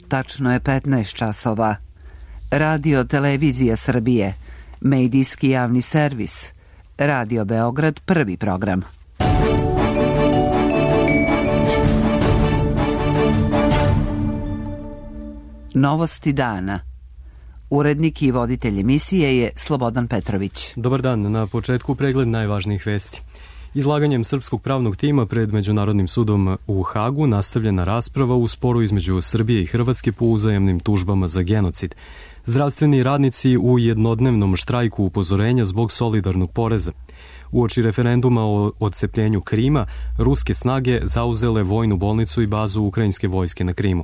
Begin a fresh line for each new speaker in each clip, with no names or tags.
Tačno je 15 časova. Radio Televizija Srbije, medijski javni servis, Radio Beograd, prvi program. Novosti dana. Urednik i voditelj emisije je Slobodan Petrović.
Dobar dan, na početku pregled najvažnijih vesti. Izlaganjem srpskog pravnog tima pred Međunarodnim sudom u Hagu nastavljena rasprava u sporu između Srbije i Hrvatske po uzajamnim tužbama za genocid. Zdravstveni radnici u jednodnevnom štrajku upozorenja zbog solidarnog poreza. Uoči referenduma o odcepljenju Krima, ruske snage zauzele vojnu bolnicu i bazu ukrajinske vojske na Krimu.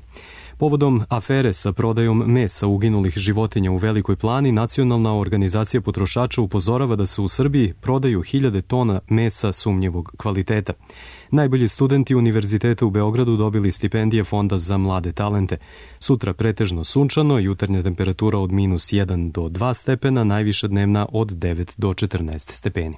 Povodom afere sa prodajom mesa uginulih životinja u Velikoj Plani, Nacionalna organizacija potrošača upozorava da se u Srbiji prodaju 1000 tona mesa sumnjivog kvaliteta. Najbolji studenti Univerziteta u Beogradu dobili stipendije Fonda za mlade talente. Sutra pretežno sunčano, jutarnja temperatura od -1 do 2 stepena, najviša dnevna od 9 do 14 stepeni.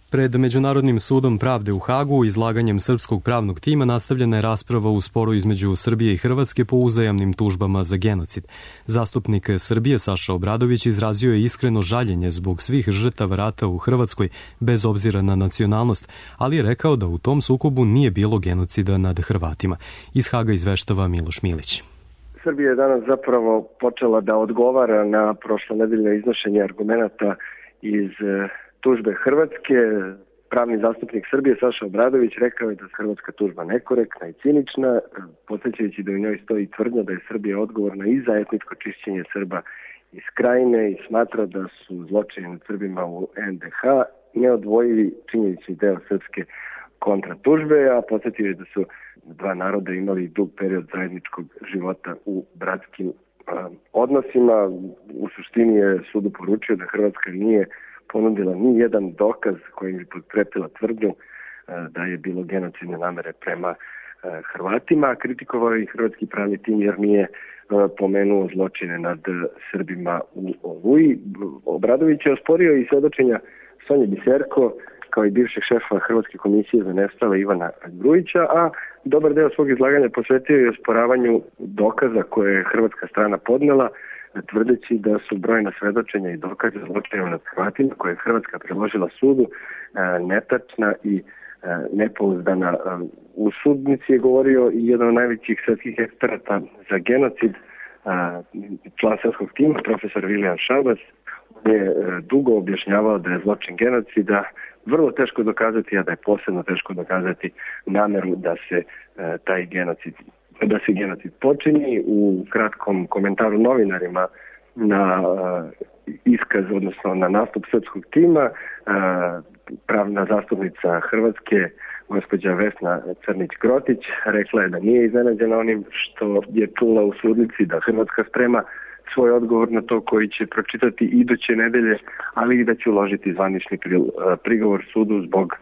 Pred Međunarodnim sudom pravde u Hagu izlaganjem srpskog pravnog tima nastavljena je rasprava u sporu između Srbije i Hrvatske po uzajamnim tužbama za genocid. Zastupnik Srbije Saša Obradović izrazio je iskreno žaljenje zbog svih žrtava rata u Hrvatskoj bez obzira na nacionalnost, ali je rekao da u tom sukobu nije bilo genocida nad Hrvatima. Iz Haga izveštava Miloš Milić.
Srbija je danas zapravo počela da odgovara na prošlonedeljno iznošenje argumenata iz tužbe Hrvatske. Pravni zastupnik Srbije Saša Obradović rekao je da je hrvatska tužba nekorektna i cinična, podsjećajući da u njoj stoji tvrdnja da je Srbija odgovorna i za etničko čišćenje Srba iz Krajine i smatra da su zločini nad Srbima u NDH neodvojivi činjenični deo srpske kontratužbe, a podsjetio je da su dva naroda imali dug period zajedničkog života u bratskim odnosima. U suštini je sudu poručio da Hrvatska nije ponudila ni jedan dokaz kojim bi potkrepila tvrdnju da je bilo genocidne namere prema Hrvatima. Kritikovao je i hrvatski pravni tim jer nije pomenuo zločine nad Srbima u Oluji. Obradović je osporio i svedočenja Sonje Biserko kao i bivšeg šefa Hrvatske komisije za nestale Ivana Grujića, a dobar deo svog izlaganja posvetio je osporavanju dokaza koje je hrvatska strana podnela, tvrdeći da su brojna svedočenja i dokaze zločina nad Hrvatima koje je Hrvatska predložila sudu netačna i nepouzdana. U sudnici je govorio i jedan od najvećih svetskih eksperata za genocid, član srpskog tima, profesor Vilijan Šabas. On je dugo objašnjavao da je zločin genocida vrlo teško dokazati, a da je posebno teško dokazati nameru da se taj genocid počini. U kratkom komentaru novinarima na iskaz, odnosno na nastup srpskog tima, pravna zastupnica Hrvatske, gospođa Vesna Crnić-Grotić, rekla je da nije iznenađena onim što je čula u sudnici, da Hrvatska sprema svoj odgovor na to koji će pročitati iduće nedelje, ali i da će uložiti zvanični prigovor sudu zbog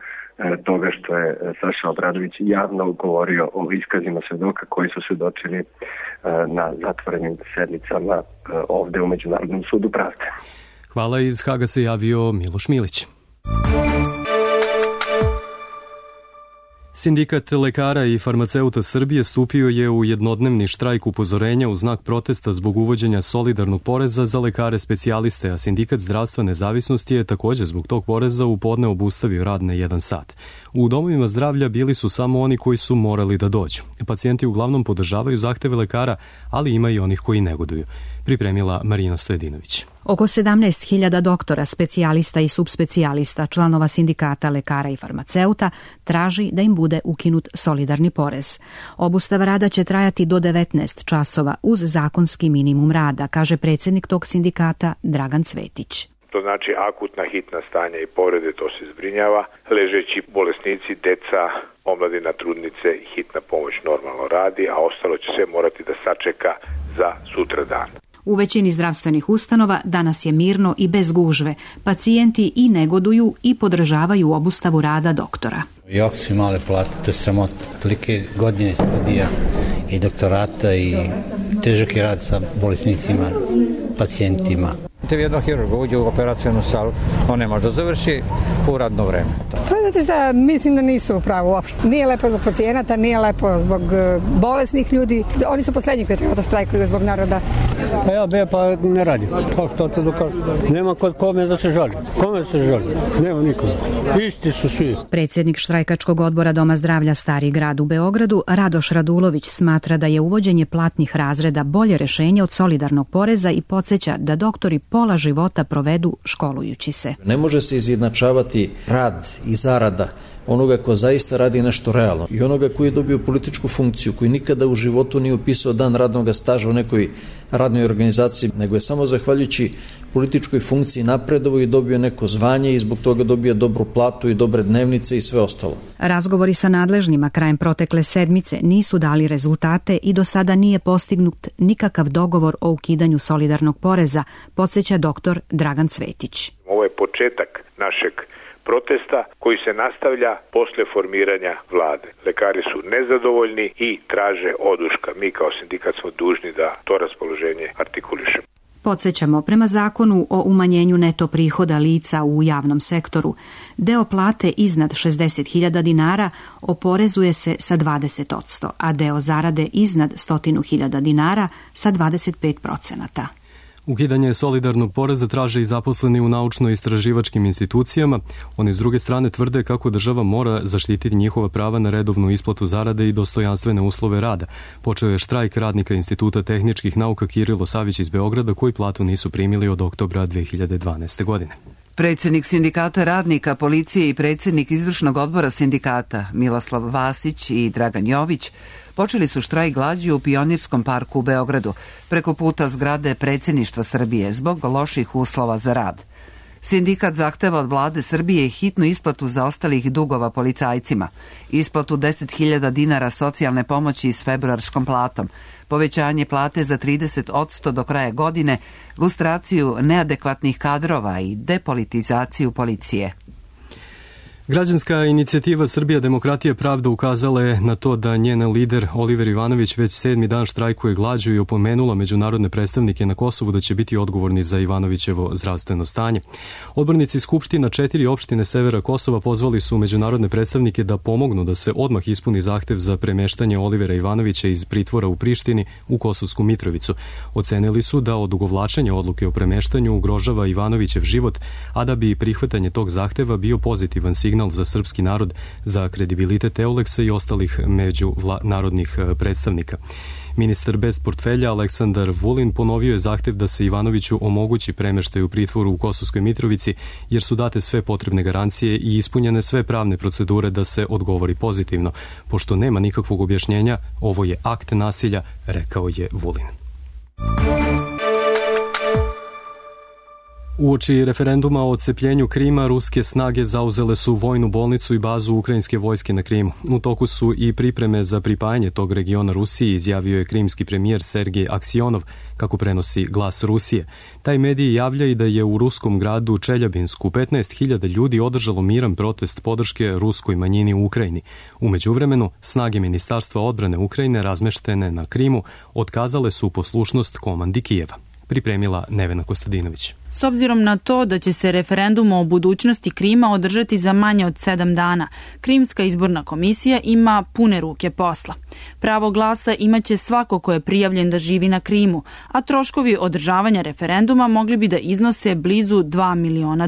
toga što je Saša Obradović javno govorio o iskazima svedoka koji su svedočili na zatvorenim sednicama ovde u Međunarodnom sudu pravde.
Hvala, iz Haga se javio Miloš Milić. Sindikat lekara i farmaceuta Srbije stupio je u jednodnevni štrajk upozorenja u znak protesta zbog uvođenja solidarnog poreza za lekare specijaliste, a Sindikat zdravstva nezavisnosti je također zbog tog poreza u podne obustavio rad na 1 sat. U domovima zdravlja bili su samo oni koji su morali da dođu. Pacijenti uglavnom podržavaju zahteve lekara, ali ima i onih koji negoduju. Pripremila Marina Stojedinović.
Oko 17.000 doktora, specijalista i subspecijalista, članova sindikata lekara i farmaceuta, traži da im bude ukinut solidarni porez. Obustava rada će trajati do 19 časova uz zakonski minimum rada, kaže predsjednik tog sindikata Dragan Cvetić.
To znači akutna hitna stanja i povrede, to se zbrinjava. Ležeći bolesnici, deca, omladina, trudnice, hitna pomoć normalno radi, a ostalo će sve morati da sačeka za sutra dan.
U većini zdravstvenih ustanova danas je mirno i bez gužve. Pacijenti i negoduju i podržavaju obustavu rada doktora.
Jako su male plate, to je sramota. Tolike godine studija i doktorata i težak je rad sa bolesnicima, pacijentima.
Jedno hirurg uđe u operacionu salu, on ne može da završi u radno vreme. Pa znate šta, mislim da nisu u pravu uopšte. Nije lepo zbog pacijenata, nije lepo zbog bolesnih ljudi. Oni su poslednji koji treba da štrajkuju zbog naroda.
Pa ja be, pa ne radi. Pa što to dokaže? Nema kod kome da se žali. Kome da se žali? Nema nikome. Isti su svi.
Predsjednik štrajkačkog odbora Doma zdravlja Stari grad u Beogradu, Radoš Radulović, smatra da je uvođenje platnih razreda bolje rešenje od solidarnog poreza i podsjeća da doktori pola života provedu školujući se.
Ne može se izjednačavati rad i zarada onoga ko zaista radi nešto realno i onoga koji je dobio političku funkciju, koji nikada u životu nije upisao dan radnog staža u nekoj radnoj organizaciji, nego je samo zahvaljujući političkoj funkciji napredovo i dobio neko zvanje i zbog toga dobio dobru platu i dobre dnevnice i sve ostalo.
Razgovori sa nadležnjima krajem protekle sedmice nisu dali rezultate i do sada nije postignut nikakav dogovor o ukidanju solidarnog poreza, podsjeća doktor Dragan Cvetić.
Ovo je početak našeg protesta koji se nastavlja posle formiranja vlade. Lekari su nezadovoljni i traže oduška. Mi kao sindikat smo dužni da to raspoloženje artikulišemo.
Podsjećamo, prema zakonu o umanjenju neto prihoda lica u javnom sektoru, deo plate iznad 60.000 dinara oporezuje se sa 20%, a deo zarade iznad 100.000 dinara sa 25%.
Ukidanje solidarnog poreza traže i zaposleni u naučno-istraživačkim institucijama. Oni s druge strane tvrde kako država mora zaštititi njihova prava na redovnu isplatu zarade i dostojanstvene uslove rada. Počeo je štrajk radnika Instituta tehničkih nauka Kirilo Savić iz Beograda koji platu nisu primili od oktobra 2012. godine.
Predsjednik sindikata radnika, policije i predsjednik izvršnog odbora sindikata Miloslav Vasić i Dragan Jović počeli su štrajk glađu u Pionirskom parku u Beogradu preko puta zgrade Predsjedništva Srbije zbog loših uslova za rad. Sindikat zahteva od vlade Srbije hitnu isplatu zaostalih dugova policajcima, isplatu 10.000 dinara socijalne pomoći s februarskom platom, povećanje plate za 30% do kraja godine, lustraciju neadekvatnih kadrova i depolitizaciju policije.
Građanska inicijativa Srbija, demokratija, pravda ukazala je na to da njen lider Oliver Ivanović već 7. dan štrajkuje glađu i opomenula međunarodne predstavnike na Kosovu da će biti odgovorni za Ivanovićevo zdravstveno stanje. Odbornici Skupština 4 opštine severa Kosova pozvali su međunarodne predstavnike da pomognu da se odmah ispuni zahtev za premeštanje Olivera Ivanovića iz pritvora u Prištini u Kosovsku Mitrovicu. Ocenili su da odugovlačenje odluke o premeštanju ugrožava Ivanovićev život, a da bi prihvatanje tog zahteva bio pozitivan signal za srpski narod, za kredibilitet Euleksa i ostalih međunarodnih predstavnika. Ministar bez portfelja Aleksandar Vulin ponovio je zahtev da se Ivanoviću omogući premeštaj u pritvoru u Kosovskoj Mitrovici, jer su date sve potrebne garancije i ispunjene sve pravne procedure da se odgovori pozitivno. Pošto nema nikakvog objašnjenja, ovo je akt nasilja, rekao je Vulin. Uoči referenduma o odcepljenju Krima, ruske snage zauzele su vojnu bolnicu i bazu ukrajinske vojske na Krimu. U toku su i pripreme za pripajanje tog regiona Rusiji, izjavio je krimski premijer Sergej Aksionov, kako prenosi Glas Rusije. Taj medij javlja i da je u ruskom gradu Čeljabinsku 15.000 ljudi održalo miran protest podrške ruskoj manjini u Ukrajini. U međuvremenu, snage Ministarstva odbrane Ukrajine razmeštene na Krimu otkazale su poslušnost komandi Kijeva. Pripremila Nevena Kostadinović.
S obzirom na to da će se referendum o budućnosti Krima održati za manje od 7 dana, Krimska izborna komisija ima pune ruke posla. Pravo glasa imaće svako ko je prijavljen da živi na Krimu, a troškovi održavanja referenduma mogli bi da iznose blizu $2 miliona.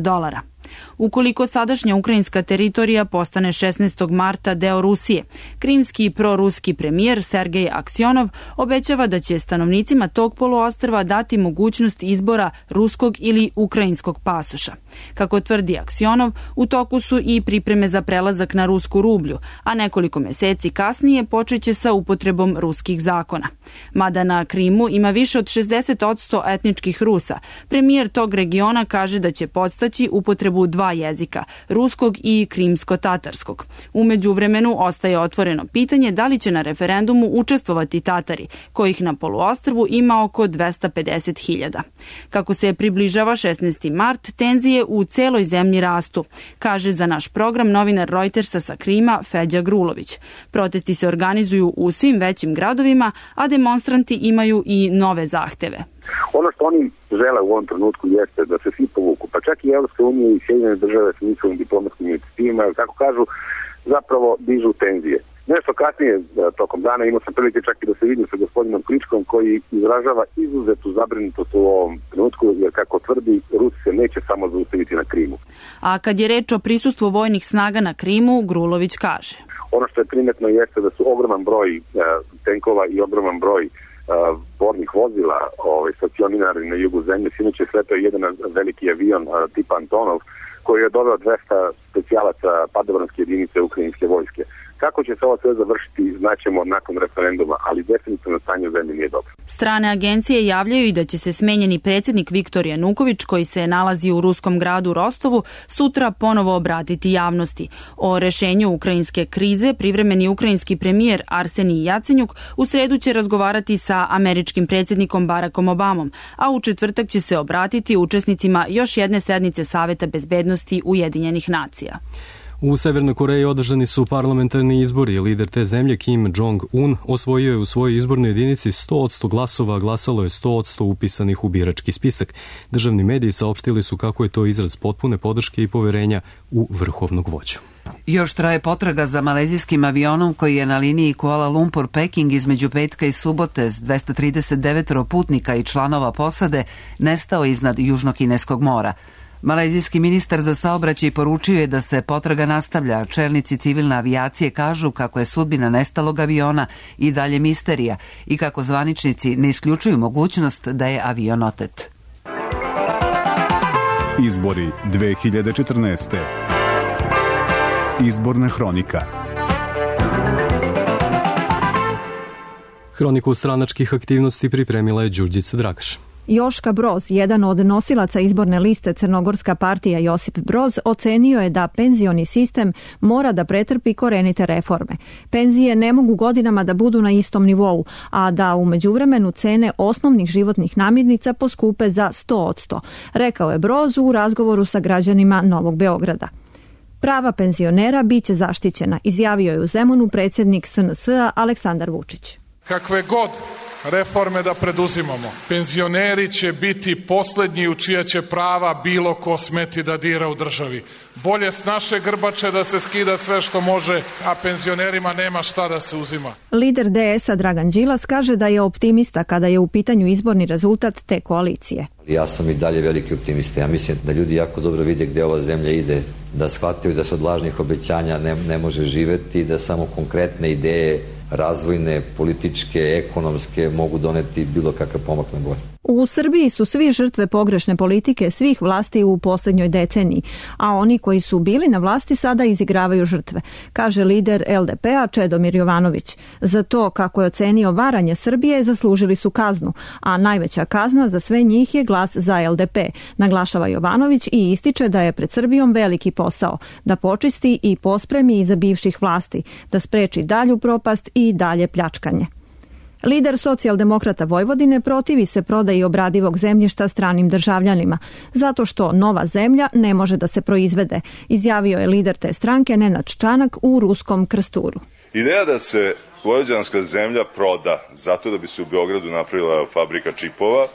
Ukoliko sadašnja ukrajinska teritorija postane 16. marta deo Rusije, krimski proruski premijer Sergej Aksionov obećava da će stanovnicima tog poluostrva dati mogućnost izbora ruskog ili ukrajinskog pasoša. Kako tvrdi Aksionov, u toku su i pripreme za prelazak na rusku rublju, a nekoliko meseci kasnije počeće sa upotrebom ruskih zakona. Mada na Krimu ima više od 60% etničkih Rusa, premijer tog regiona kaže da će podstaći upotrebu 2 jezika, ruskog i krimsko-tatarskog. U međuvremenu ostaje otvoreno pitanje da li će na referendumu učestvovati Tatari, kojih na poluostrvu ima oko 250.000. Kako se približava 16. mart, tenzije u celoj zemlji rastu, kaže za naš program novinar Reutersa sa Krima Feđa Grulović. Protesti se organizuju u svim većim gradovima, a demonstranti imaju i nove zahteve.
Ono što oni žele u ovom trenutku jeste da se svi povuku, pa čak i Evropska unija i Sjedinjene države sa njihovim diplomatskim inicijativima avionima, kako kažu, zapravo dižu tenzije. Nešto kasnije tokom dana imao sam prilike čak i da se vidim sa gospodinom Kličkom koji izražava izuzetu zabrinutost u ovom trenutku, jer kako tvrdi, Rusi se neće samo zaustaviti na Krimu.
A kad je reč o prisustvu vojnih snaga na Krimu, Grulović kaže:
ono što je primetno jeste da su ogroman broj tenkova i ogroman broj bornih vozila stacionirani na jugu zemlje. Sinoć je sletao jedan veliki avion tipa Antonov koji je doveo 200 specijalaca padobranske jedinice ukrajinske vojske. Kako će se ovo sve završiti, znaćemo nakon referenduma, ali definitivno stanje u zemlji nije dobro.
Strane agencije javljaju i da će se smenjeni predsjednik Viktor Januković, koji se nalazi u ruskom gradu Rostovu, sutra ponovo obratiti javnosti. O rešenju ukrajinske krize privremeni ukrajinski premijer Arsenij Jacenjuk u sredu će razgovarati sa američkim predsjednikom Barackom Obamom, a u četvrtak će se obratiti učesnicima još jedne sednice Saveta bezbednosti Ujedinjenih nacija.
U Severnoj Koreji održani su parlamentarni izbori. Lider te zemlje Kim Jong-un osvojio je u svojoj izbornoj jedinici 100% glasova, a glasalo je 100% upisanih u birački spisak. Državni mediji saopštili su kako je to izraz potpune podrške i poverenja u vrhovnog vođu.
Još traje potraga za malezijskim avionom koji je na liniji Kuala Lumpur-Peking između petka i subote s 239 putnika i članova posade nestao iznad Južnokineskog mora. Malezijski ministar za saobraćaj poručio je da se potraga nastavlja. Čelnici civilne avijacije kažu kako je sudbina nestalog aviona i dalje misterija i kako zvaničnici ne isključuju mogućnost da je avion otet.
Izbori 2014. Izborna hronika.
Hroniku stranačkih aktivnosti pripremila je Đurđica Dragaš.
Joška Broz, jedan od nosilaca izborne liste Crnogorska partija Josip Broz, ocenio je da penzioni sistem mora da pretrpi korenite reforme. Penzije ne mogu godinama da budu na istom nivou, a da u međuvremenu cene osnovnih životnih namirnica poskupe za 100%, rekao je Broz u razgovoru sa građanima Novog Beograda. Prava penzionera biće zaštićena, izjavio je u Zemunu predsjednik SNS-a Aleksandar Vučić.
Kakve god reforme da preduzimamo, penzioneri će biti poslednji u čija će prava bilo ko smeti da dira u državi. Bolje s naše grbače da se skida sve što može, a penzionerima nema šta da se uzima.
Lider DS-a Dragan Đilas kaže da je optimista kada je u pitanju izborni rezultat te koalicije.
Ja sam i dalje veliki optimista. Ja mislim da ljudi jako dobro vide gde ova zemlja ide, da shvataju da se od lažnih obećanja ne može živeti i da samo konkretne ideje razvojne, političke, ekonomske mogu doneti bilo kakav pomak na bolje.
U Srbiji su svi žrtve pogrešne politike svih vlasti u posljednjoj deceniji, a oni koji su bili na vlasti sada izigravaju žrtve, kaže lider LDP-a Čedomir Jovanović. Za to, kako je ocenio varanje Srbije, zaslužili su kaznu, a najveća kazna za sve njih je glas za LDP, naglašava Jovanović i ističe da je pred Srbijom veliki posao, da počisti i pospremi iza bivših vlasti, da spreči dalju propast i dalje pljačkanje. Lider Socijaldemokrata Vojvodine protivi se prodaji obradivog zemljišta stranim državljanima, zato što nova zemlja ne može da se proizvede, izjavio je lider te stranke Nenad Čanak u Ruskom Krsturu.
Ideja da se vojvođanska zemlja proda zato da bi se u Beogradu napravila fabrika čipova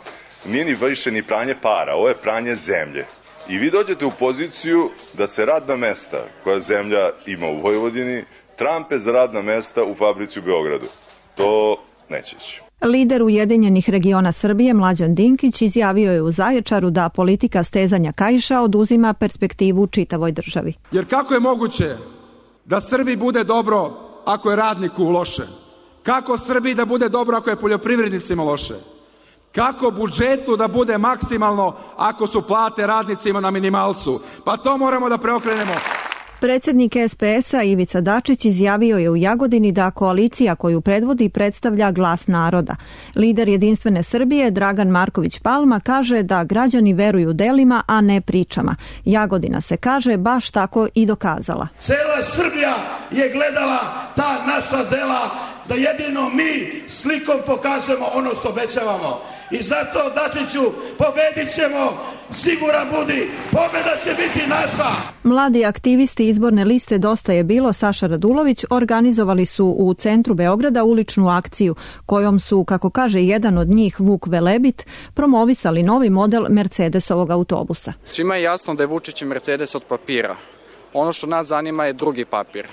nije ni više ni pranje para, ovo je pranje zemlje. I vi dođete u poziciju da se radna mesta koja zemlja ima u Vojvodini trampe za radna mesta u fabrici u Beogradu. To neće ići.
Lider Ujedinjenih regiona Srbije Mlađan Dinkić izjavio je u Zaječaru da politika stezanja kaiša oduzima perspektivu čitavoj državi.
Jer kako je moguće da Srbiji bude dobro ako je radniku loše? Kako Srbiji da bude dobro ako je poljoprivrednicima loše? Kako budžetu da bude maksimalno ako su plate radnicima na minimalcu? Pa to moramo da preokrenemo.
Predsjednik SPS-a Ivica Dačić izjavio je u Jagodini da koalicija koju predvodi predstavlja glas naroda. Lider Jedinstvene Srbije Dragan Marković Palma kaže da građani veruju delima, a ne pričama. Jagodina se, kaže, baš tako i dokazala.
Cela Srbija je gledala ta naša dela, da jedino mi slikom pokažemo ono što obećavamo. I zato, Dačiću, pobedit ćemo, siguran budi, pobeda će biti naša.
Mladi aktivisti izborne liste Dosta je bilo Saša Radulović organizovali su u centru Beograda uličnu akciju kojom su, kako kaže jedan od njih Vuk Velebit, promovisali novi model Mercedesovog autobusa.
Svima je jasno da je Vučićev Mercedes od papira. Ono što nas zanima je drugi papir.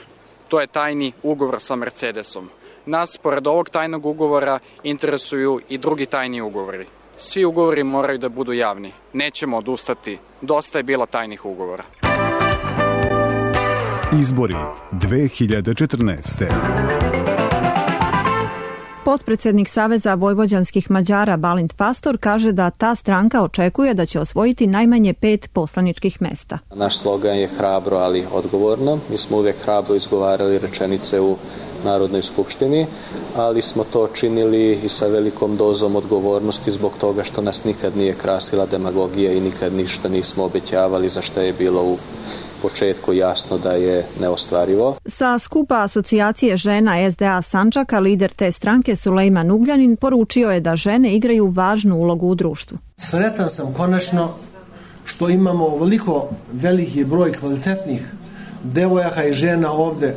To je tajni ugovor sa Mercedesom. Nas, pored ovog tajnog ugovora, interesuju i drugi tajni ugovori. Svi ugovori moraju da budu javni. Nećemo odustati. Dosta je bilo tajnih ugovora.
Izbori 2014.
Potpredsednik Saveza vojvođanskih Mađara Balint Pastor kaže da ta stranka očekuje da će osvojiti najmanje 5 poslaničkih mesta.
Naš slogan je hrabro, ali odgovorno. Mi smo uvijek hrabro izgovarali rečenice u Narodnoj skupštini, ali smo to činili i sa velikom dozom odgovornosti zbog toga što nas nikad nije krasila demagogija i nikad ništa nismo obećavali za što je bilo u početku jasno da je neostvarivo.
Sa skupa asocijacije žena SDA Sandžaka lider te stranke Sulejman Ugljanin poručio je da žene igraju važnu ulogu u društvu.
Sretan sam konačno što imamo ovoliko veliki broj kvalitetnih devojaka i žena ovde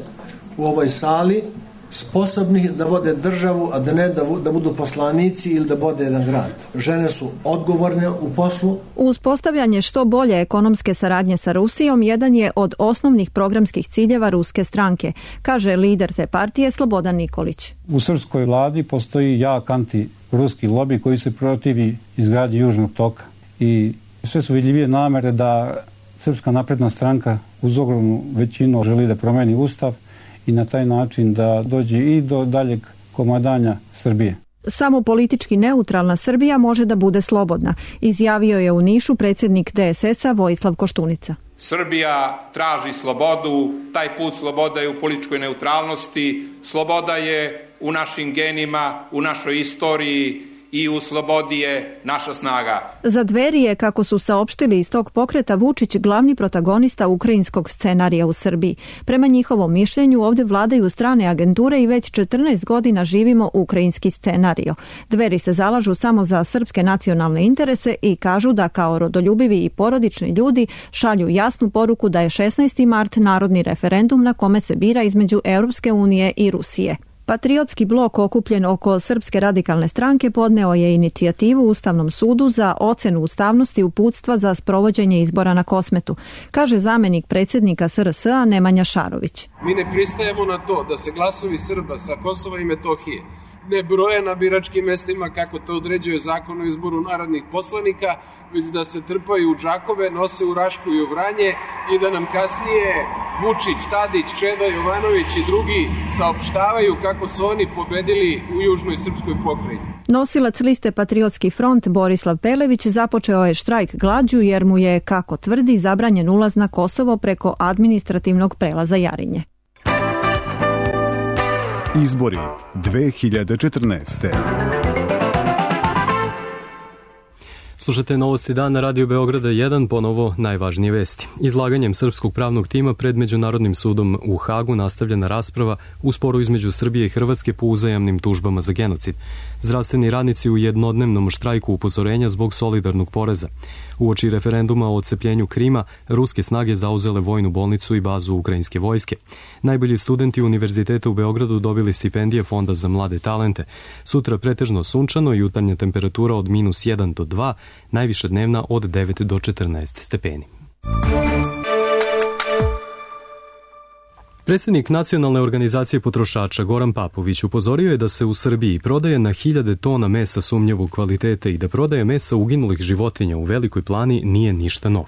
u ovoj sali, sposobnih da vode državu, a da ne da budu poslanici ili da vode jedan grad. Žene su odgovorne u poslu.
Uspostavljanje što bolje ekonomske saradnje sa Rusijom jedan je od osnovnih programskih ciljeva ruske stranke, kaže lider te partije Slobodan Nikolić.
U srpskoj vladi postoji jak anti-ruski lobi koji se protivi izgradnji Južnog toka i sve su vidljivije namere da Srpska napredna stranka uz ogromnu većinu želi da promeni ustav i na taj način da dođe i do daljeg komadanja Srbije.
Samo politički neutralna Srbija može da bude slobodna, izjavio je u Nišu predsjednik DSS-a Vojislav Koštunica.
Srbija traži slobodu, taj put sloboda je u političkoj neutralnosti, sloboda je u našim genima, u našoj istoriji i u slobodi je naša snaga.
Za Dveri je, kako su saopštili iz tog pokreta, Vučić glavni protagonista ukrajinskog scenarija u Srbiji. Prema njihovom mišljenju ovdje vladaju strane agenture i već 14 godina živimo ukrajinski scenario. Dveri se zalažu samo za srpske nacionalne interese i kažu da kao rodoljubivi i porodični ljudi šalju jasnu poruku da je 16. mart narodni referendum na kome se bira između Europske unije i Rusije. Patriotski blok okupljen oko Srpske radikalne stranke podneo je inicijativu Ustavnom sudu za ocenu ustavnosti uputstva za sprovođenje izbora na Kosmetu, kaže zamenik predsjednika SRS-a Nemanja Šarović.
Mi ne pristajemo na to da se glasovi Srba sa Kosova i Metohije ne broje na biračkim mestima kako to određuje zakon o izboru narodnih poslanika, već da se trpaju u džakove, nose u Rašku i u Vranje i da nam kasnije Vučić, Tadić, Čeda, Jovanović i drugi saopštavaju kako su oni pobedili u južnoj srpskoj pokrajini.
Nosilac liste Patriotski front Borislav Pelević započeo je štrajk glađu jer mu je, kako tvrdi, zabranjen ulaz na Kosovo preko administrativnog prelaza Jarinje.
Izbori 2014.
Slušate Novosti dana na Radio Beograda 1, ponovo najvažnije vesti. Izlaganjem srpskog pravnog tima pred Međunarodnim sudom u Hagu nastavljena rasprava u sporu između Srbije i Hrvatske po uzajamnim tužbama za genocid. Zdravstveni radnici u jednodnevnom štrajku upozorenja zbog solidarnog poreza. Uoči referenduma o odcepljenju Krima, ruske snage zauzele vojnu bolnicu i bazu ukrajinske vojske. Najbolji studenti Univerziteta u Beogradu dobili stipendije Fonda za mlade talente. Sutra pretežno sunčano i jutarnja temperatura od -1 do 2, najviša dnevna od 9 do 14 stepeni. Predsjednik Nacionalne organizacije potrošača Goran Papović upozorio je da se u Srbiji prodaje na 1000 tona mesa sumnjivog kvaliteta i da prodaje mesa uginulih životinja u Velikoj Plani nije ništa novo.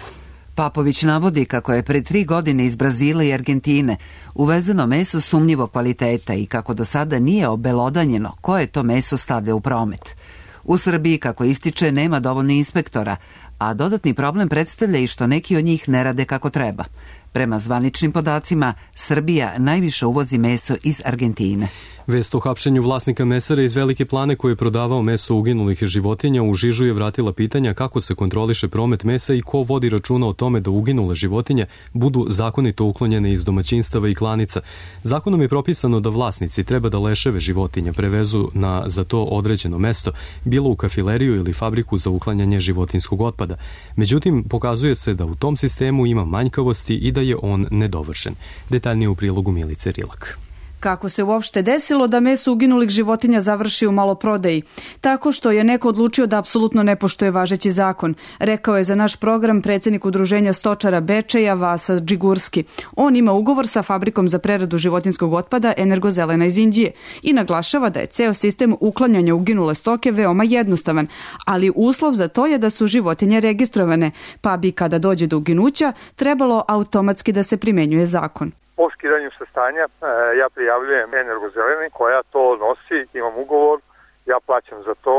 Papović navodi kako je pre 3 godine iz Brazila i Argentine uvezeno meso sumnjivog kvaliteta i kako do sada nije obelodanjeno koje to meso stavlja u promet. U Srbiji, kako ističe, nema dovoljno inspektora, a dodatni problem predstavlja i što neki od njih ne rade kako treba. Prema zvaničnim podacima, Srbija najviše uvozi meso iz Argentine.
Vest o hapšenju vlasnika mesara iz Velike Plane koji je prodavao meso uginulih životinja u Žižu je vratila pitanja kako se kontroliše promet mesa i ko vodi računa o tome da uginule životinje budu zakonito uklonjene iz domaćinstava i klanica. Zakonom je propisano da vlasnici treba da leševe životinja prevezu na za to određeno mesto, bilo u kafileriju ili fabriku za uklanjanje životinskog otpada. Međutim, pokazuje se da u tom sistemu ima manjkavosti i da je on nedovršen. Detaljnije u prilogu Milice Rilak.
Kako se uopšte desilo da meso uginulih životinja završi u maloprodaji? Tako što je neko odlučio da apsolutno ne poštuje važeći zakon, rekao je za naš program predsjednik Udruženja stočara Bečeja Vasa Džigurski. On ima ugovor sa fabrikom za preradu životinjskog otpada Energozelena iz Indije i naglašava da je ceo sistem uklanjanja uginule stoke veoma jednostavan, ali uslov za to je da su životinje registrovane, pa bi kada dođe do uginuća trebalo automatski da se primenjuje zakon.
Po skidanju sa stanja ja prijavljujem Energozeleni koja to nosi, imam ugovor, ja plaćam za to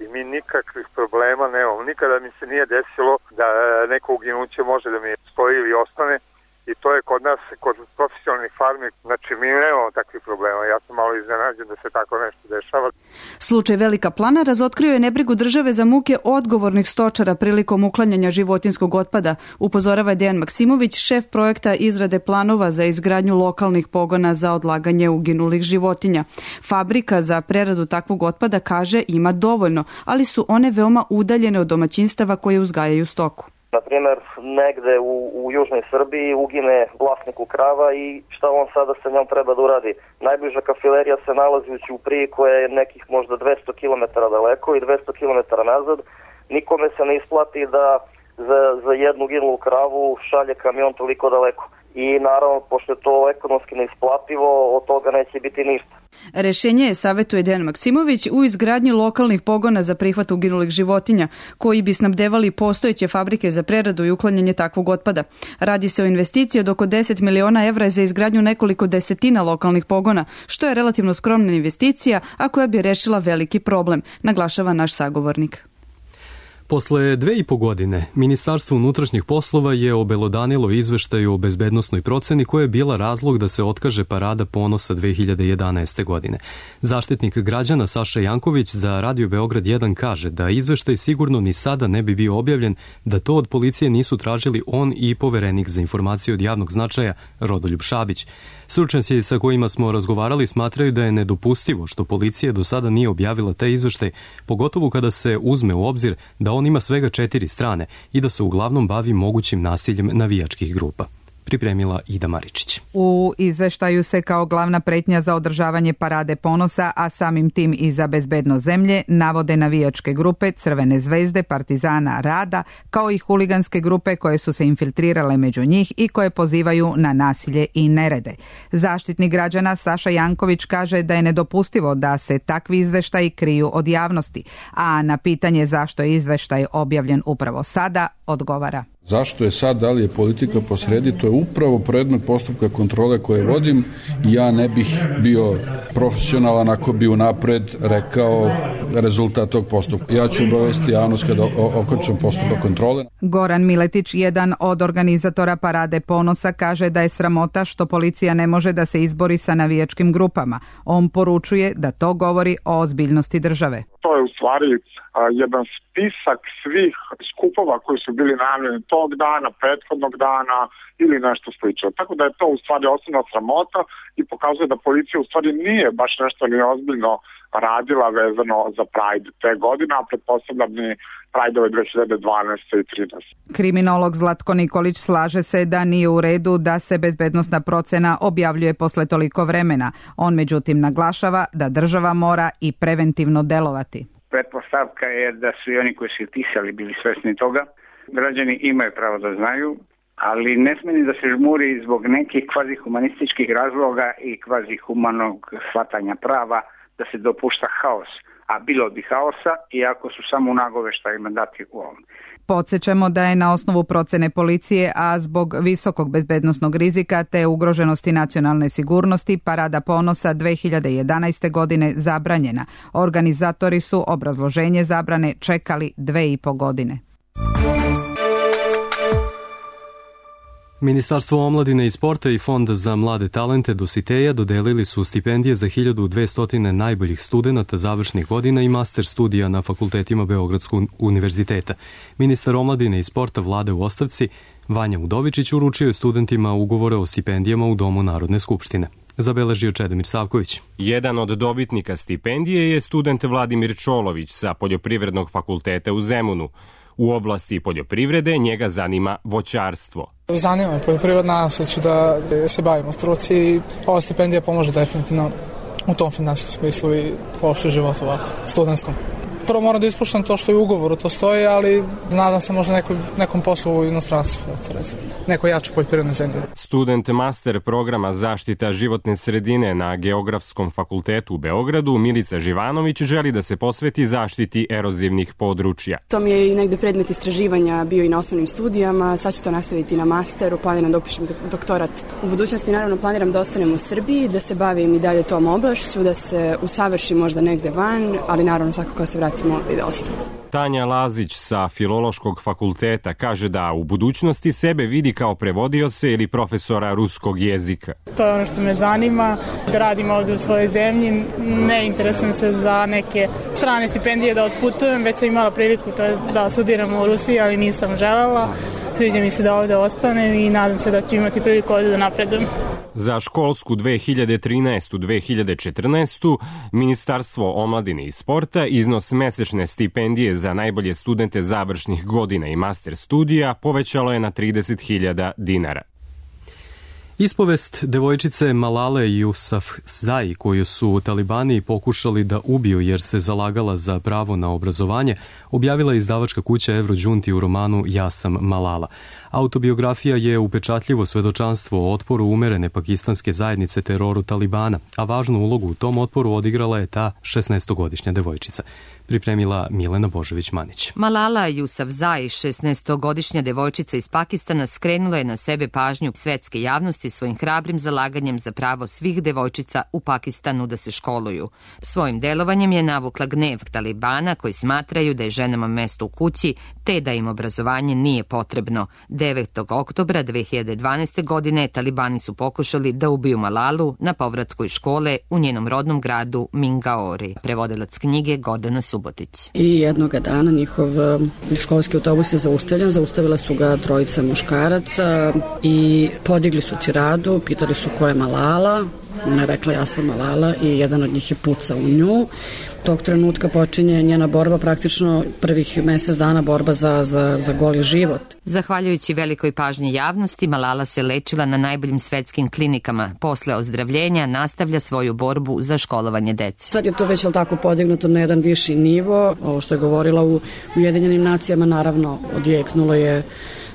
i mi nikakvih problema nemamo. Nikada mi se nije desilo da neko uginuće može da mi stoji ili ostane i to je kod nas, kod profesionalnih farmi, znači mi nemamo takvih problema. Ja sam malo iznenađen da se tako nešto dešava.
Slučaj Velika Plana razotkrio je nebrigu države za muke odgovornih stočara prilikom uklanjanja životinjskog otpada, upozorava Dejan Maksimović, šef projekta izrade planova za izgradnju lokalnih pogona za odlaganje uginulih životinja. Fabrika za preradu takvog otpada, kaže, ima dovoljno, ali su one veoma udaljene od domaćinstava koje uzgajaju stoku.
Na primjer, negde u južnoj Srbiji ugine vlasniku krava i šta on sada sa njom treba da uradi? Najbliža kafilerija se nalazi u Ćupriji koja je nekih možda 200 km daleko i 200 km nazad. Nikome se ne isplati da za jednu ginulu kravu šalje kamion toliko daleko. I naravno, pošto je to ekonomski neisplativo, od toga neće biti ništa.
Rešenje je, savjetuje Dejan Maksimović, u izgradnji lokalnih pogona za prihvat uginulih životinja, koji bi snabdevali postojeće fabrike za preradu i uklanjanje takvog otpada. Radi se o investiciji od oko 10 miliona evra za izgradnju nekoliko desetina lokalnih pogona, što je relativno skromna investicija, a koja bi rešila veliki problem, naglašava naš sagovornik.
Posle 2,5 godine, Ministarstvo unutrašnjih poslova je obelodanilo izveštaju o bezbednosnoj proceni koja je bila razlog da se otkaže Parada ponosa 2011. godine. Zaštitnik građana Saša Janković za Radio Beograd 1 kaže da izveštaj sigurno ni sada ne bi bio objavljen da to od policije nisu tražili on i poverenik za informacije od javnog značaja Rodoljub Šabić. Stručnjaci sa kojima smo razgovarali smatraju da je nedopustivo što policija do sada nije objavila taj izveštaj, pogotovo kada se uzme u obzir da on ima svega 4 strane i da se uglavnom bavi mogućim nasiljem navijačkih grupa. Pripremila Ida Maričić.
U izveštaju se kao glavna pretnja za održavanje Parade ponosa, a samim tim i za bezbednost zemlje, navode navijačke grupe Crvene zvezde, Partizana, Rada, kao i huliganske grupe koje su se infiltrirale među njih i koje pozivaju na nasilje i nerede. Zaštitnik građana Saša Janković kaže da je nedopustivo da se takvi izveštaji kriju od javnosti, a na pitanje zašto je izveštaj objavljen upravo sada, odgovara.
Zašto je sad, da li je politika posredi, to je upravo predmet postupka kontrole koje vodim i ja ne bih bio profesionalan ako bi unapred rekao rezultat tog postupka. Ja ću obavesti javnost kada okončam postupak kontrole.
Goran Miletić, jedan od organizatora Parade ponosa, kaže da je sramota što policija ne može da se izbori sa navijačkim grupama. On poručuje da to govori o ozbiljnosti države.
To je u stvari jedan spisak svih skupova koji su bili najavljeni tog dana, prethodnog dana ili nešto slično. Tako da je to u stvari osnovna sramota i pokazuje da policija u stvari nije baš nešto ni ozbiljno radila vezano za Pride te godine, a pretpostavljam ni Pride-ove 2012. i 2013.
Kriminolog Zlatko Nikolić slaže se da nije u redu da se bezbednosna procena objavljuje posle toliko vremena. On međutim naglašava da država mora i preventivno delovati.
Pretpostavka je da su i oni koji su pisali bili svesni toga. Građani imaju pravo da znaju, ali ne smije da se žmuri zbog nekih kvazihumanističkih razloga i kvazihumanog shvatanja prava da se dopušta haos. A bilo bi haosa iako su samo u nagoveštajima dati u ovom.
Podsjećamo da je na osnovu procene policije, a zbog visokog bezbednosnog rizika te ugroženosti nacionalne sigurnosti, Parada ponosa 2011. godine zabranjena. Organizatori su obrazloženje zabrane čekali 2,5 godine.
Ministarstvo omladine i sporta i Fond za mlade talente Dositeja dodelili su stipendije za 1200 najboljih studenata završnih godina i master studija na fakultetima Beogradskog univerziteta. Ministar omladine i sporta Vlade u ostavci Vanja Udovičić uručio je studentima ugovore o stipendijama u Domu Narodne skupštine. Zabeležio Čedomir Savković.
Jedan od dobitnika stipendije je student Vladimir Čolović sa Poljoprivrednog fakulteta u Zemunu.
U oblasti poljoprivrede njega zanima voćarstvo.
Zanima me poljoprivreda, nadam se ću da se bavimo struci i ova stipendija pomože definitivno u tom finansijskom smislu i uopšte životu ovako, studentskom. Prvo moram da ispuštam to što je u ugovoru, to stoji, ali nadam se možda nekom poslu u inostranstvu, neko jače poljoprivredne zemlje.
Student master programa zaštita životne sredine na Geografskom fakultetu u Beogradu, Milica Živanović želi da se posveti zaštiti erozivnih područja.
To mi je i negde predmet istraživanja bio i na osnovnim studijama, sad ću to nastaviti na masteru, planiram da upišem doktorat. U budućnosti naravno planiram da ostanem u Srbiji, da se bavim i dalje tom oblašću, da se usavršim možda negde van, ali naravno svakako se vratim ovdje i da ostanem.
Tanja Lazić sa Filološkog fakulteta kaže da u budućnosti sebe vidi kao prevodioca ili profesora ruskog jezika.
To je ono što me zanima, da radim ovdje u svojoj zemlji, ne interesujem se za neke strane stipendije da otputujem, već sam imala priliku da studiram u Rusiji, ali nisam želela. Sviđa mi se da ovdje ostanem i nadam se da ću imati priliku ovdje da napredujem.
Za školsku 2013-2014 Ministarstvo omladine i sporta iznos mesečne stipendije za najbolje studente završnih godina i master studija povećalo je na 30.000 dinara.
Ispovest devojčice Malale Yousafzai, koju su talibani pokušali da ubiju jer se zalagala za pravo na obrazovanje, objavila je izdavačka kuća Eurođunti u romanu Ja sam Malala. Autobiografija je upečatljivo svedočanstvo o otporu umerene pakistanske zajednice teroru talibana, a važnu ulogu u tom otporu odigrala je ta 16-godišnja devojčica. Pripremila Milena Božović-Manić.
Malala Yousafzai, 16-godišnja devojčica iz Pakistana, skrenula je na sebe pažnju svetske javnosti svojim hrabrim zalaganjem za pravo svih devojčica u Pakistanu da se školuju. Svojim delovanjem je navukla gnev talibana koji smatraju da je ženama mesto u kući te da im obrazovanje nije potrebno. 9. oktobra 2012. godine talibani su pokušali da ubiju Malalu na povratku iz škole u njenom rodnom gradu Mingaori. Prevodilac knjige Gordana Subotić.
I jednog dana njihov školski autobus je zaustavljen, zaustavila su ga trojica muškaraca i podigli su tiradu, pitali su ko je Malala. Ona je rekla ja sam Malala i jedan od njih je pucao u nju. Tog trenutka počinje njena borba, praktično prvih mjesec dana borba za goli život.
Zahvaljujući velikoj pažnji javnosti, Malala se lečila na najboljim svetskim klinikama. Posle ozdravljenja nastavlja svoju borbu za školovanje dece.
Sad je to već tako podignuto na jedan viši nivo. Ovo što je govorila u Ujedinjenim nacijama naravno odjeknulo je.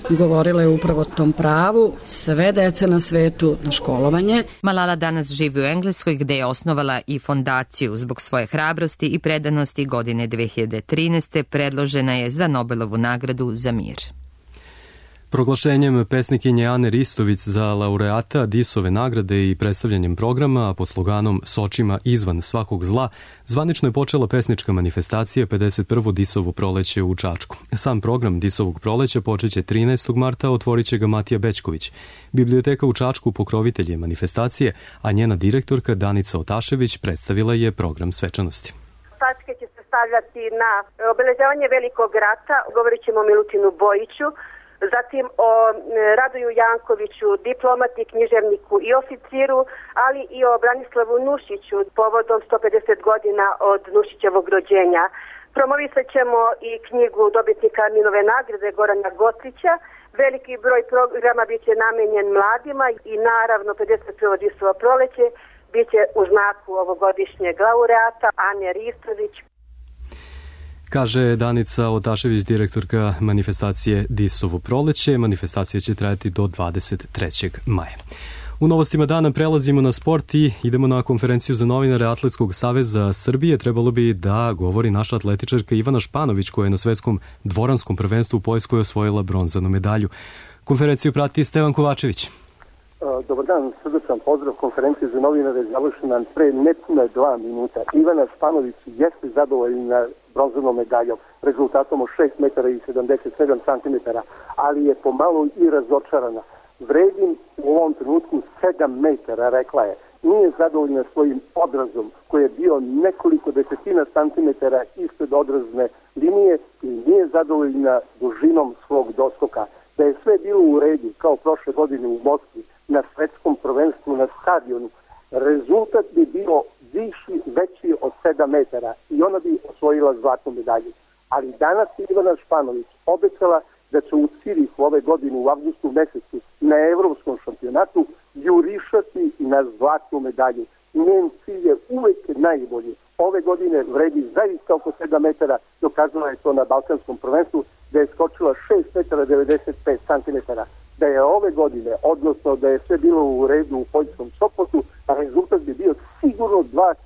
Govorila je upravo o tom pravu sve dece na svetu na školovanje.
Malala danas živi u Engleskoj gde je osnovala i fondaciju. Zbog svoje hrabrosti i predanosti godine 2013. predložena je za Nobelovu nagradu za mir.
Proglašenjem pesnikinje Ane Ristović za laureata Disove nagrade i predstavljanjem programa pod sloganom S očima izvan svakog zla, zvanično je počela pesnička manifestacija 51. Disovo proleće u Čačku. Sam program Disovog proleća počeće 13. marta, otvorit će ga Matija Bećković. Biblioteka u Čačku pokrovitelj je manifestacije, a njena direktorka Danica Otašević predstavila je program svečanosti.
Tačke će se stavljati na obeležavanje Velikog rata, govorit ćemo o Milutinu Bojiću, zatim o Radoju Jankoviću, diplomati, književniku i oficiru, ali i o Branislavu Nušiću povodom 150 godina od Nušićevog rođenja. Promovisat ćemo i knjigu dobitnika Arminove nagrade Gorana Gotrića. Veliki broj programa biće namenjen mladima i naravno 51. Disovo proleće biće u znaku ovogodišnjeg laureata Ane Ristović.
Kaže Danica Otašević, direktorka manifestacije Disovo proleće. Manifestacija će trajati do 23. maja. U novostima dana prelazimo na sport i idemo na konferenciju za novinare Atletskog saveza Srbije. Trebalo bi da govori naša atletičarka Ivana Španović, koja je na svetskom dvoranskom prvenstvu u Poljskoj osvojila bronzanu medalju. Konferenciju prati Stevan Kovačević.
Dobar dan, srdačan pozdrav. Konferencija za novinare je završena pre nepune 2 minuta. Ivana Španović jeste zadovoljna bronzanom medaljom, rezultatom od 6 metara i 77 centimetara, ali je pomalo i razočarana. Vredim u ovom trenutku 7 metara, rekla je. Nije zadovoljna svojim odrazom, koji je bio nekoliko desetina centimetara ispred odrazne linije, i nije zadovoljna dužinom svog doskoka. Da je sve bilo u redu, kao prošle godine u Moskvi, na svetskom prvenstvu na stadionu, rezultat bi bio veći od 7 metara i ona bi osvojila zlatnu medalju. Ali danas je Ivana Španović obećala da će u Cirihu ove godine u avgustu mesecu na evropskom šampionatu jurišati na zlatnu medalju. Njen cilj je uvek najbolji. Ove godine vredi zaista oko 7 metara, dokazala je to na Balkanskom prvenstvu, da je skočila 6 metara 95 centimetara. Da je ove godine, odnosno da je sve bilo u redu u poljskom Sopotu, a rezultat bi bio sigurno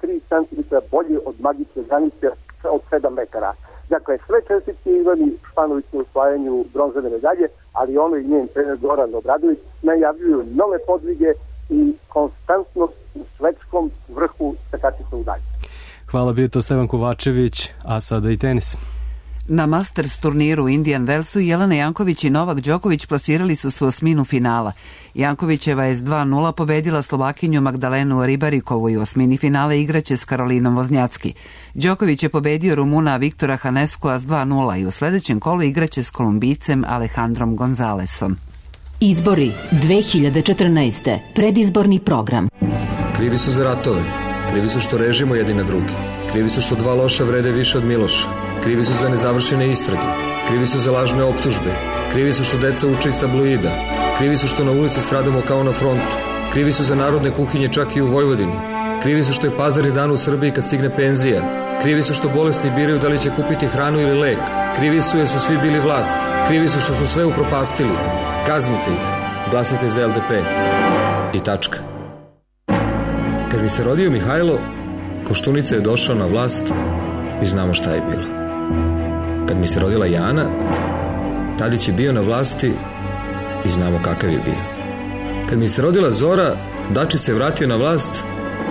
2-3 cm bolji od magične granice od 7 metara. Dakle, sve čestitke Ivani Španović na osvajanju bronzane medalje, ali ono i njen trener Goran Obradović najavljuju nove podvige i konstantnost u svetskom vrhu skakačica u dalju.
Hvala, bio to Stevan Kovačević, a sada i tenis.
Na Masters turniru u Indian Wellsu Jelena Janković i Novak Đoković plasirali su se u osminu finala. Jankovićeva je s 2-0 pobedila Slovakinju Magdalenu Ribarikovu i u osmini finala igraće s Karolinom Voznjacki. Đoković je pobedio Rumuna Viktora Haneskua s 2-0 i u sledećem kolu igraće s Kolumbijcem Alejandrom Gonzalesom.
Izbori 2014. Predizborni program.
Krivi su za ratove. Krivi su što režimo jedni na drugi. Krivi su što dva loša vrede više od Miloša. Krivi su za nezavršene istrage. Krivi su za lažne optužbe. Krivi su što deca uče iz tabloida. Krivi su što na ulici stradamo kao na frontu. Krivi su za narodne kuhinje čak i u Vojvodini. Krivi su što je pazarni dan u Srbiji kad stigne penzija. Krivi su što bolesni biraju da li će kupiti hranu ili lek. Krivi su jer su svi bili vlast. Krivi su što su sve upropastili. Kaznite ih. Glasajte za LDP. I tačka. Kad mi se rodio Mihajlo, Koštunica je došao na vlast i znamo šta je bilo. Kad mi se rodila Jana, Tadić je bio na vlasti i znamo kakav je bio. Kad mi se rodila Zora, Dači se vratio na vlast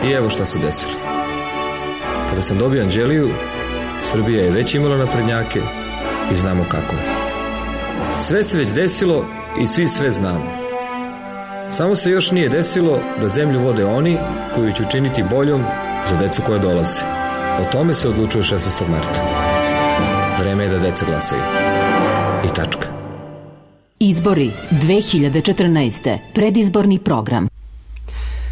i evo šta se desilo. Kada sam dobio Anđeliju, Srbija je već imala naprednjake i znamo kako je. Sve se već desilo i svi sve znamo. Samo se još nije desilo da zemlju vode oni koji će učiniti boljom za decu koje dolaze. O tome se odlučuje 16. marta. Vreme je da deca glasaju. I tačka.
Izbori 2014. Predizborni program.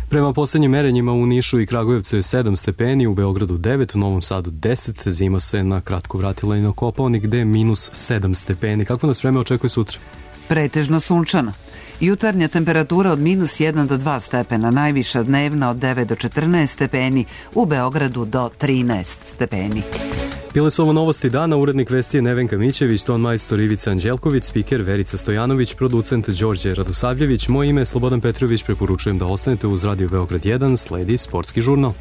Prema poslednjim merenjima u Nišu i Kragujevcu je 7 stepeni, u Beogradu 9, u Novom Sadu 10, zima se na kratko vratila i na Kopaonik gde je minus 7 stepeni. Kako nas vreme očekuje sutra?
Pretežno sunčano. Jutarnja temperatura od minus 1 do 2 stepena, najviša dnevna od 9 do 14 stepeni, u Beogradu do 13 stepeni.
Bile su ovo novosti dana, urednik vesti je Nevenka Mićević, ton majstor Ivica Anđelković, spiker Verica Stojanović, producent Đorđe Radosavljević, moje ime je Slobodan Petrović, preporučujem da ostanete uz Radio Beograd 1, sledi sportski žurnal.